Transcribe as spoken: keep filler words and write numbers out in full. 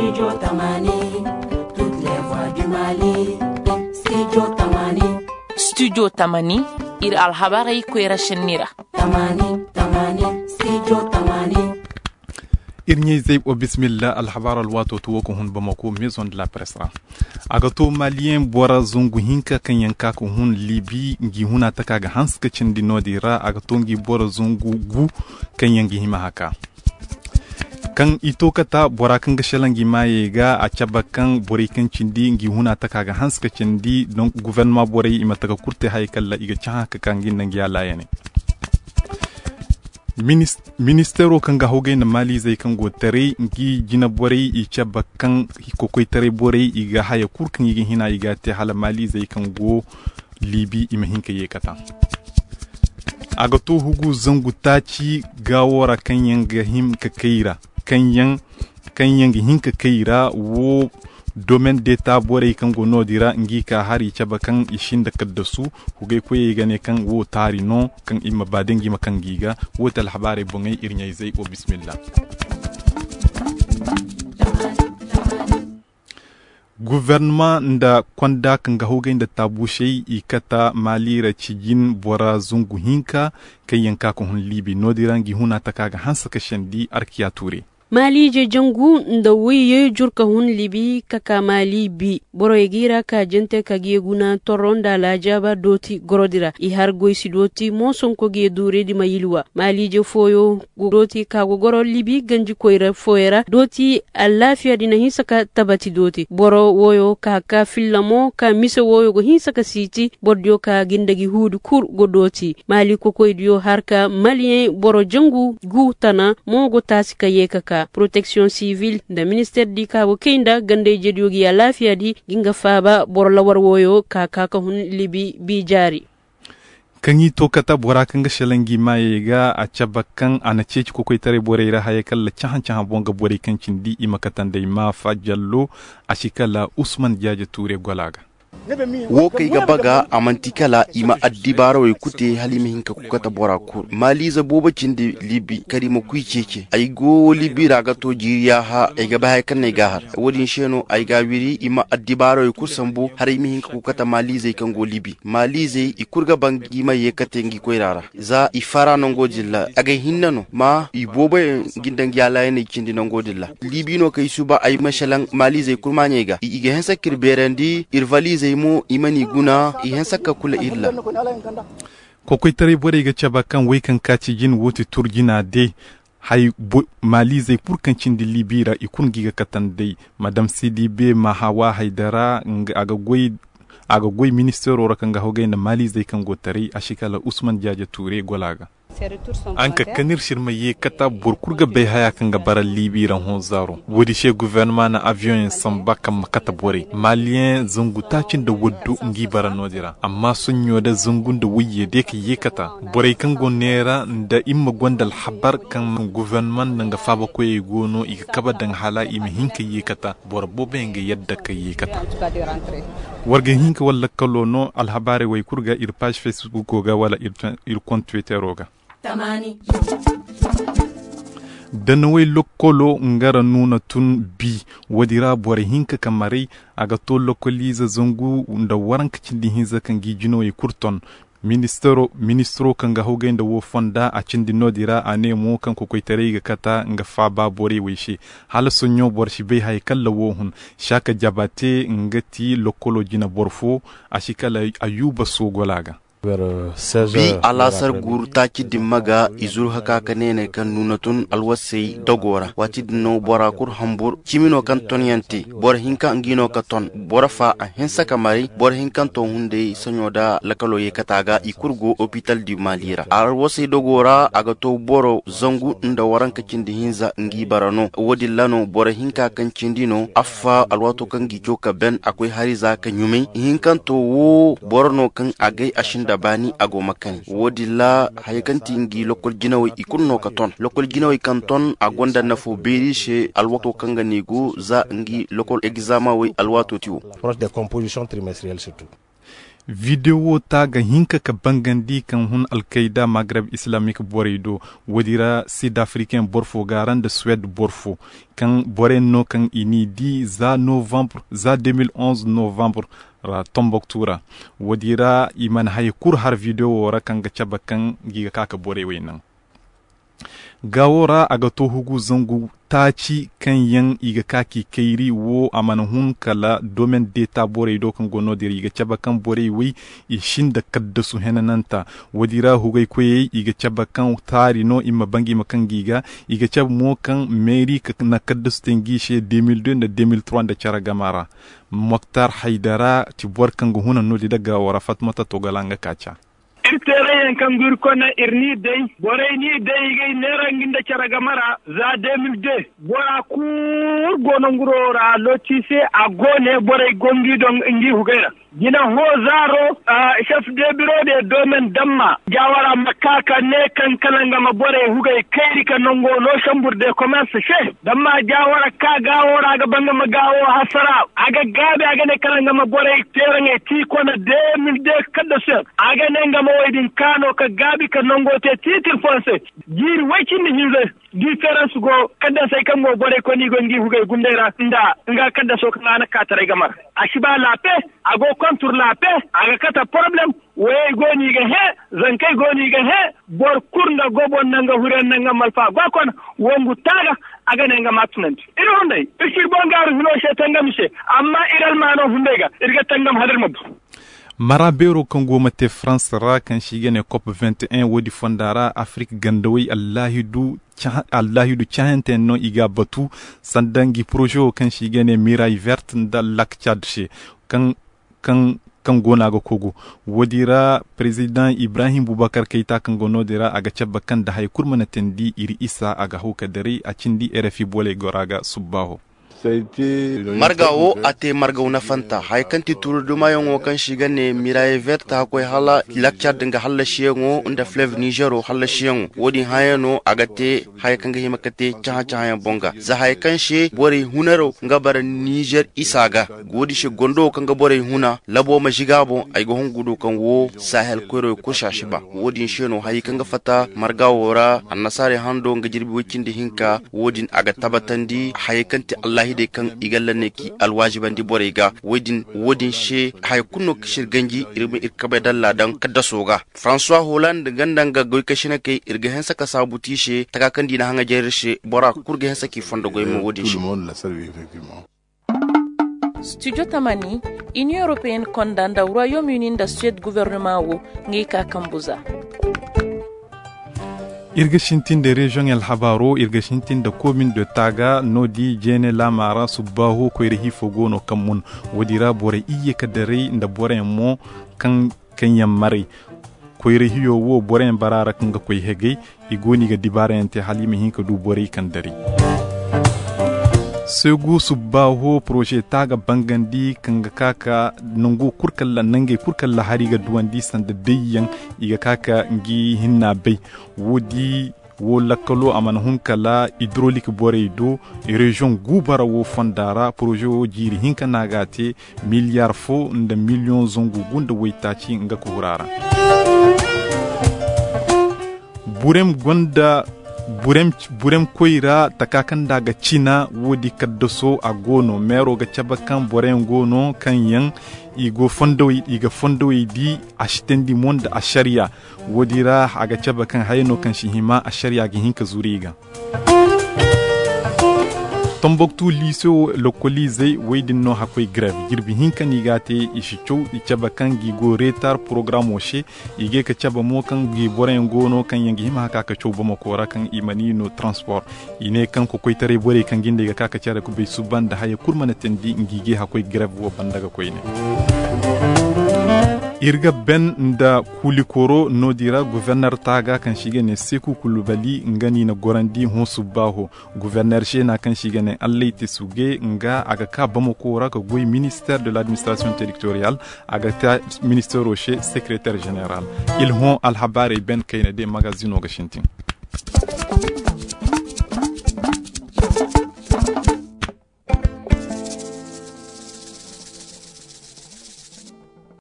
Studio Tamani, toutes les voix du Mali. Studio Tamani. Studio Tamani, iri alhabarey koyra senni ra. Tamani, Tamani, Studio Tamani. Iri ɲayzey, wa bismillah, alhabar alwaato to wo ga hun Bamako, Maison de la Presse ra. A ga to Maliyen bora zangu hinka kaŋ yaŋ ka ga hun Libi, ngi huna taka ga hanse ka cindi noodin ra, a ga to ngi bora zangu gu kaŋ yaŋ ga hima haka. Kaŋ i to kata bora kaŋ ga shalaŋ ngi maayey ga, a cabe kaŋ borey kaŋ cindi ngi huna taka ga hanse ka cindi, donc gouvernement borey i ma taka kurte hayey kala i ga cahã ka ka ngi nda ngi alaayaney. Minis-, ministeero kaŋ ga hawgay nda maaliizey kaŋ go taray, ngi jina borey i cabe kaŋ kokoytaray borey i ga haya kulu kaŋ i ga hina i ga a te hala maaliizey kaŋ go Libi i ma hin ka ye ka taŋ. A ga to hugu zangu taaci gaawo ra kaŋ yaŋ ga hin ka kay ra, kaŋ yaŋ, kaŋ yaŋ ga hin ka kay ra wo domaine d'État borey kaŋ go noodin ra ngi ka hari cabe kaŋ i sinda kaddasu. Hugay koyey ga ne kaŋ wo taari no kaŋ i ma ba da ngi ma kaŋ gi ga. Wo te alhabaarey boŋey iri ɲayzey wo bismillah. Gouvernement nda konda kaŋ ga hawgay nda taabuusey i kata Mali ra cijin bora zangu hinka kaŋ yaŋ ka ga hun Libi noodin ra ngi huna taka ga hanse ka sendi Arkiya Tuure. Maaliije jangu nda wayye jurka hun Libi ka ka Mali bi. Borey g'i ra ka jante ka g'i guna torro nda alaajaaba dooti gorodi ra. I har goy si dooti mo sonko g'i duure di ma yilwa. Maaliije fooyo go dooti ka go goro Libi ganji koyra fooyaŋ ra dooti. Allaafiya di na hinsa ka tabati dooti. Boro wooyo ka ka filla mo ka mise wooyo go hinsa ka siiti. Boro diyo ka gindagi huudi kulu go dooti. Maali kokoydiyo har ka Maliyeŋ boro jangu gu tana mo go taasi ka ye ka ka. Protection civil nda ministeer di ka go kay nda gandayjediyo ga ya laafiya di ga nga faaba boro lawar wooyo ka ka ka hun Libi bi jaari. Kaŋ i to kata bora kaŋ ga selaŋ ngi maayey ga a cabe kaŋ a na ceeci kokoytaray borey ra hayey kala cahã-cahã boŋ ga borey kaŋ cindi i ma katandey maafa jallo. A si kala usman jaaje tuure gola ga. Wo kaŋ ay ga ba ga a manti kala i ma addibaarawey kute hala i ma hin ka kukata bora kulu maaliize boobo cindi libi kala i ma kuy ceece ay go libi ra ga to jiiri yaaha ay ga ba haya kaŋ no ay ga a har. Wo- din se no ay ga a wiri i ma addibaarawey kulu sambu hala i ma hin ka kukata maaliizey kaŋ go libi maaliizey i kulu ga ba ngi ma ye kate ngi koyra ra. Za i fara nango din ra agay hinne no ma i boobo yaŋ ga nda ngi alaayaney cindi nango din ra. Libi no kaŋ ay suba ay ma selaŋ maaliizey kulu maaɲey ga i ga hanse ka iri beerandi iri valiizey mo i mana i guna i hanse ka kula iri ra. Kokoytaray borey ga cabe kaŋ wey kaŋ ka ci jin wo ti turjina day. Hay maaliizey kulu kaŋ cindi libi ra i kulu ngi ga katandey. Madam sidibe mahawa haydara a ga goy ministeero ra kaŋ ga hawgay nda maaliizey kaŋ go taray a si kala usman jaaja tuure gola ga. An ka kan iri sirma ye kata boro kulu ga bay haya kaŋ ga bara libi ra hõ zaaro. Wo- din se guvernama na aviyoŋ yaŋ samba kaŋ ma kate borey maaliyeŋ zangu taaci nda waddu ngi bara no- din ra amma soɲɲo da zangu nda wayye day ka ye kata. Borey kaŋ go neera nda iri ma gonda alhabar kaŋ guvernama nda nga faabakoyey go no i ga kabe daŋ hala i ma hin ka ye kata. Boro boobo yaŋ ga yadda ka ye kata. War ga hin ka wala lakkalo no alhabaarey wo kulu ga iri paazi facebook ga wala iri kont twittero ga. Danawey lokkolo nga ra nuuna tun bi. Wo- din ra boro hinka ka maray a ga to lokkoliize zangu nda waranka cindi hinza kaŋ ga i jinawey kulu ton. Ministiro kaŋ ga hawgay nda wo fonda a cindi no- din ra a ne mo kaŋ kokoytaray ga kata nga faaba borey wey se. Hala soɲɲo boro si bay haya kalla wo hun. Saka jabate nga ti lokkolo jina boro fo. A si kala ayuba sogola ga. Bi alaasar guuru taaci dimma ga i zuru haka ka neene kaŋ nuuna tun alwasey dogo ra waati din no bora kulu hambur cimi no kaŋ ton yaŋ te. Boro hinka ngi no ka ton boro fa a hinsa ka maray boro hinkanto hunday saɲo da lakalo ye kata ga i kulu go opital di mali ra alwasey dogo ra a ga to boro zangu nda waranka cindi hinza ngi bara no wo- din ra no boro hinka kaŋ cindi no affa alwaato kaŋ gi coka ben a koy hari za ka ɲumay hinkanto wo boro no kaŋ a gay a sinda baani a go ma kani wo- din ra haya kaŋ ti ngi lokol jinawey i kulu no ka ton lokol jinawey kaŋ ton a gonda nafo beeri se alwaato kaŋ ga ne go za ngi lokol egzama wey alwaato ti wo. Videwo taaga hinka ka bangandi kaŋ hun alkayda magreb islamik borey do. Woodi ra sid afriken boro fo ga a ra nda suwed boro fo, kaŋ borey no kaŋ i n'i di za novembre za deux mille onze novembre ra tomboktu ra. Woodi ra i mana haya kulu har videwo ra kaŋ ga cabe kaŋ gi ga ka ka borey wey naŋ. Gaawo ra a ga to hugu zangu taaci kaŋ yaŋ i ga ka k'i kayri wo a mana hun kala domen deeta borey do kaŋ go no- din ra i ga cabe kaŋ borey wey i sinda kaddasu henananta. Woodi ra hugay koyey i ga cabe kaŋ taari no i ma bangay ma kaŋ gi ga. I ga cabe mo kaŋ meeri ka na kaddasu te ngi se deux mille deux nda deux mille trois nda care gama ra. Moktar haydara ti boro kaŋ ga huna no- din da gaawo ra fatmata togala nga ka ca. Iri teerayyaŋ kaŋ go iri kone iri n'i day, borey n'i day i ga i neera nga nda care game ra. Za deux mille deux bora kulu go nanguro ra looti se a go ne borey go ngi doŋ ngi hugay ra. Jina hõ zaaro, chef de biro de domen damma jaawara ma ka ka ne kaŋ kala nga ma borey hugay kayri ka nango no sambur de commerce se. Damma jaawara ka gaawo ra a ga ba nga ma gaawo hasara. A ga gaabi a ga ne kala nga ma borey teeraŋey ti kone deux mille deux kaddasuyaŋ. A ga ne nga ma woy din kaano ka gaabi ka nango te tiitir fonse. Jiiri way cindi hinza, diferans go kaddasey kaŋ go borey koy no i go ngi hugey gundey ra nda nga kaddaso kaŋ a na kaataray ga mar. A si ba laape. A go kontur laape. A ga kate poroblem. Woyey go no i ga hẽ. Zankey go no i ga hẽ. Boro kulu nda gobo nda nga huriyaŋ nda nga malfa go a kone. Wongu taaga. A ga ne nga ma a tunandi iri hunday iri si iri boŋ gaaru hino se tangam i se. Amma iri almaano hunday ga iri ga tangam hala iri ma bu. Mara beero kaŋ go ma te farans ra kaŋ se i ga ne kop vingt et un woodi fonda ra afrik gandawey allaahidu cahantey no i ga a batu. Sanda ngi poroze wo kaŋ se i ga ne miray vert nda lak cad se kaŋ kaŋ go no a ga kogu. Woodi ra perezidaŋ ibrahim bubakar kayta kaŋ go no- din ra a ga cabe kaŋ nda haya kulu mana teendi iri isa a ga haw ka daray a cindi rfi booley gora ga subbaaho. Marga wo a te margaw nafanta haya kaŋ ti tuuri dumayaŋo kaŋ se i ga ne miraye vert a koy hala lakcad nga hallasiyaŋo nda flev nizero hallasiyaŋo. Wo- din haya no a ga te haya kaŋ ga hima ka te cahã-cahãyaŋ boŋ ga za haya kaŋ se borey hunaro nga bara nizer isa ga. Woodi se gondo wo kaŋ ga borey huna labo ma ziga boŋ ay ga hungu do kaŋ wo sahel koyro kulu se a si ba. Wo- din se no hayey kaŋ ga fatta marga wo ra annasaarey hando nga jirbi way cindi hinka. Wo- din a ga tabbatandi hayey kaŋ ti allahidey kaŋ i ga lanney ki alwaazibandi borey ga. Wo- din se haya kulu no kaŋ se iri ganji iri ma iri kabay dalla daŋ kaddaso ga. François holand ganda nga goykasinakey iri ga hanse ka saabu ti se taka kaŋ di na haŋajer iri se bora kulu ga hanse k'i fondo goy mo wo- din se. Studio tamani, union européenne konda nda royaume uni nda suède gouvernement wo, ngey ka kambu za. Iri ga sintin da région alhabaaro iri ga sintin da commune de taga no- di jeene laama ra subbaaho koyra hiifo go no kaŋ mun. Wo- din ra borey iyye ka daray nda boroyaŋ mo kaŋ kaŋ yaŋ maray. Koyra hiyo wo boroyaŋ bara ra kaŋ ga koy hegay. I go no i ga dibaarayaŋ te hala i ma hin ka du borey kaŋ daray. Seegu subbaaho poroze ta ga bangandi kaŋ ga ka ka nangu kulu kaŋ ra nangey kulu kaŋ ra hari ga duwandi sanda dayyaŋ. I ga ka ka ngi hinna bay. Wo- di wo lakkalo a mana hun kala idrolik borey do. Reziyoŋ guubara wo fonda ra poroze wo jiiri hinka no a ga a te. Miliyar fo nda miliyoŋ zangu gu nda waytaaci nga ka huru a ra. Burem gonda burem koy ra taka kaŋ nda a ga cina wo- din kaddaso a go no meero ga cabe kaŋ boroyaŋ go no kaŋ yaŋ i ga fondowey di a si teendi mo nda asariya. Wo- din ra a ga cabe kaŋ haya no kaŋ si hima asariya ga hin ka zuru i ga. Tomboktu liise wo lokkoliizey wey din no hakkoy grev jirbi hinka no i ga a te. I si caw i cabe kaŋ gi go reetar porogaraamo se. I ga ye ka cabe mo kaŋ gi boroyaŋ go no kaŋ yaŋ ga hima haka ka caw bamako ra kaŋ i mana i no transport. I ne kaŋ kokoytaray borey kaŋ ga nda i ga ka ka care kubay suba nda haya kulu mana teendi ngi ga ye hakkoy grev wo banda ga koyne. Iri ga ben nda kuulikoro no- din ra governer taaga kaŋ se i ga ne seeku kulubali nga no i na gorandi hõ subbaaho. Governer seena kaŋ se i ga ne allay te suge nga a ga ka bamako ra ka goy minister de l'administration territorial. A ga ta ministero se secretaire general. Iri hõ alhabaarey ben kayna de magazino ga sintin.